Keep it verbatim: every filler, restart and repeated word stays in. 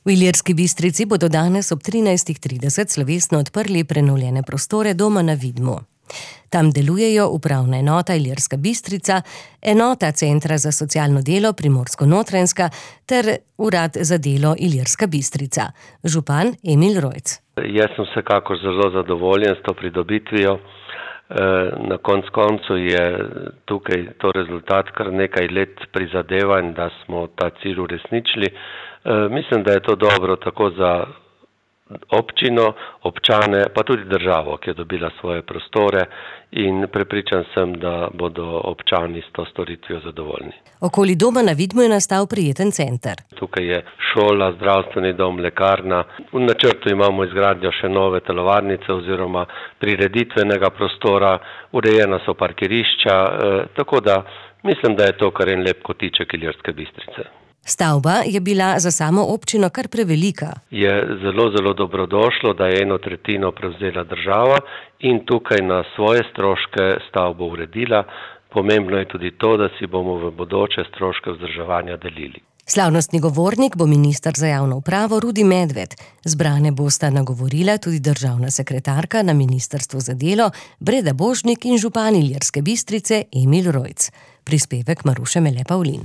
V Ilirski Bistrici bodo danes ob trinajstih trideset slovesno odprli prenovljene prostore Doma na Vidmu. Tam delujejo upravna enota Ilirska Bistrica, enota Centra za socialno delo Primorsko-Notranjska ter Urad za delo Ilirska Bistrica. Župan Emil Rojc. Jaz sem vsekakor zelo zadovoljen s to pridobitvijo. Na konc koncu je tukaj to rezultat kar nekaj let prizadevanj, da smo ta cilj uresničili. Mislim, da je to dobro tako za občino, občane, pa tudi državo, ki je dobila svoje prostore, in prepričan sem, da bodo občani s to storitvijo zadovoljni. Okoli Doma na Vidmu je nastal prijeten center. Tukaj je šola, zdravstveni dom, lekarna. V načrtu imamo izgradnjo še nove telovadnice oziroma prireditvenega prostora, urejena so parkirišča, eh, tako da mislim, da je to kar en lep kotiček Ilirske Bistrice. Stavba je bila za samo občino kar prevelika. Je zelo, zelo dobrodošlo, da je eno tretjino prevzela država in tukaj na svoje stroške stavbo uredila. Pomembno je tudi to, da si bomo v bodoče stroške vzdrževanja delili. Slavnostni govornik bo minister za javno upravo Rudi Medved. Zbrane bosta nagovorila tudi državna sekretarka na Ministrstvu za delo Breda Božnik in župan Ilirske Bistrice Emil Rojc. Prispevek Maruše Mele Pavlin.